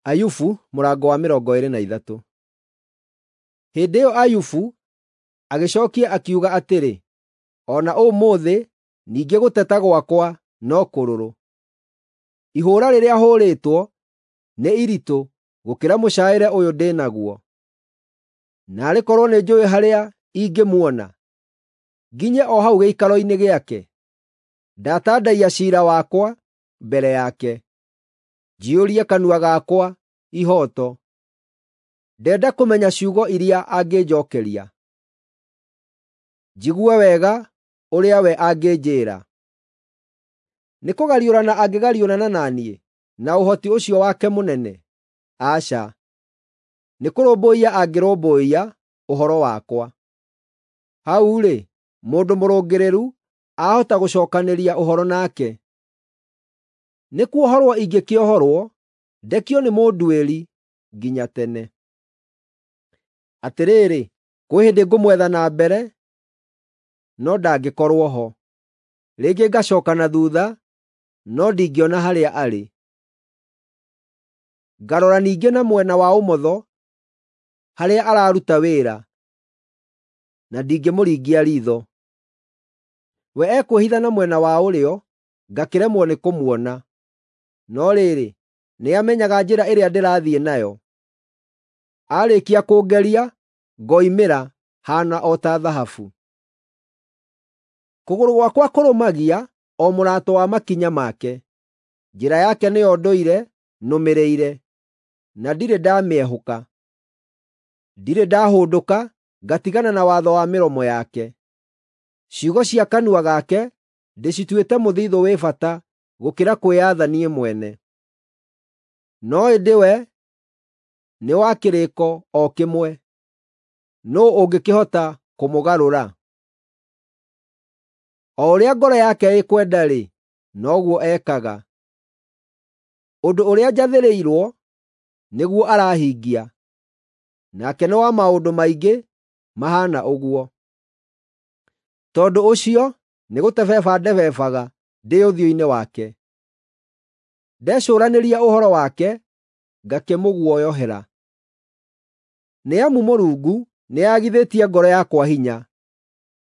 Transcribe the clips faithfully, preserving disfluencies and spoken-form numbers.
Ayubu mũrango wa mĩrongo ĩĩrĩ na ithatũ. Hĩndĩ ĩyo Ayubu agĩcookia akiuga atĩrĩ, “O na ũmũthĩ ningĩ gũteta gwakwa no kũrũrũ; ihũũra rĩrĩa hũũrĩtwo nĩ iritũ gũkĩra mũcaĩre ũyũ ndĩ naguo. Naarĩ korwo nĩnjũũĩ harĩa ingĩmuona, nginye o hau gĩikaro-inĩ gĩake! Ndatandaiya ciira wakwa mbere yake, njiyũrie kanua gakwa ihooto. Ndenda kũmenya ciugo iria angĩnjookeria, njigue wega ũrĩa we angĩnjĩĩra. Nĩkũgariũrana angĩgariũrana na niĩ na ũhoti ũcio wake mũnene? Aca, nĩkũrũmbũiya angĩrũmbũiya ũhoro wakwa. Hau-rĩ, mũndũ mũrũngĩrĩru aahota gũcookanĩria ũhoro nake. Nĩkuohorwo ingĩkĩohorwo, ndekio nĩ mũnduĩri nginya tene. Atĩrĩrĩ, kwĩ hĩndĩ ngũmwetha na mbere, no ndangĩkorwo ho; rĩngĩ ngacooka na thuutha, no ndingĩona harĩa arĩ. Ngarora ningĩ na mwena wa ũmotho harĩa araruta wĩra, na ndingĩmũringia riitho. We ekwĩhitha na mwena wa ũrĩo, ngakĩremwo nĩkũmuona. No rĩrĩ, nĩamenyaga njĩra ĩrĩa ndĩrathiĩ nayo. Aarĩkia kũngeria, ngoimĩra haana o ta thahabu. Kũgũrũ gwakwa kũrũmagia o mũrato wa makinya make; njĩra yake nĩyo ndũire nũmĩrĩire, na ndirĩ ndamĩehũka. Ndirĩ ndahũndũka ngatigana na watho wa mĩromo yake. Ciugo cia kanua gake ndĩcituĩte mũthiithũ wĩ bata gũkĩra kwĩyatha niĩ mwene. No ĩndĩ we nĩ wa kĩrĩĩko o kĩmwe, nũũ ũngĩkĩhota kũmũgarũra? O ũrĩa ngoro yake ĩkwenda-rĩ, noguo ekaga. Ũndũ ũrĩa njathĩrĩirwo nĩguo arahingia, nake nĩ wa maũndũ maingĩ mahaana ũguo. Tondũ ũcio nĩgũtebeba ndebebaga ndĩ ũthiũ-inĩ wake; ndecũũranĩria ũhoro wake ngakĩmũguoyohera. Nĩ amu Mũrungu nĩagithĩtie ngoro yakwa hinya;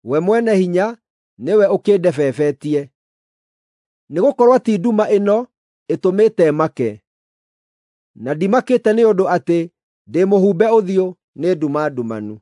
we Mwene-Hinya nĩwe ũkĩndebebetie. Nĩgũkorwo ti nduma ĩno ĩtũmĩte make, na ndimakĩte nĩ ũndũ atĩ ndĩmũhumbe ũthiũ nĩ nduma ndumanu.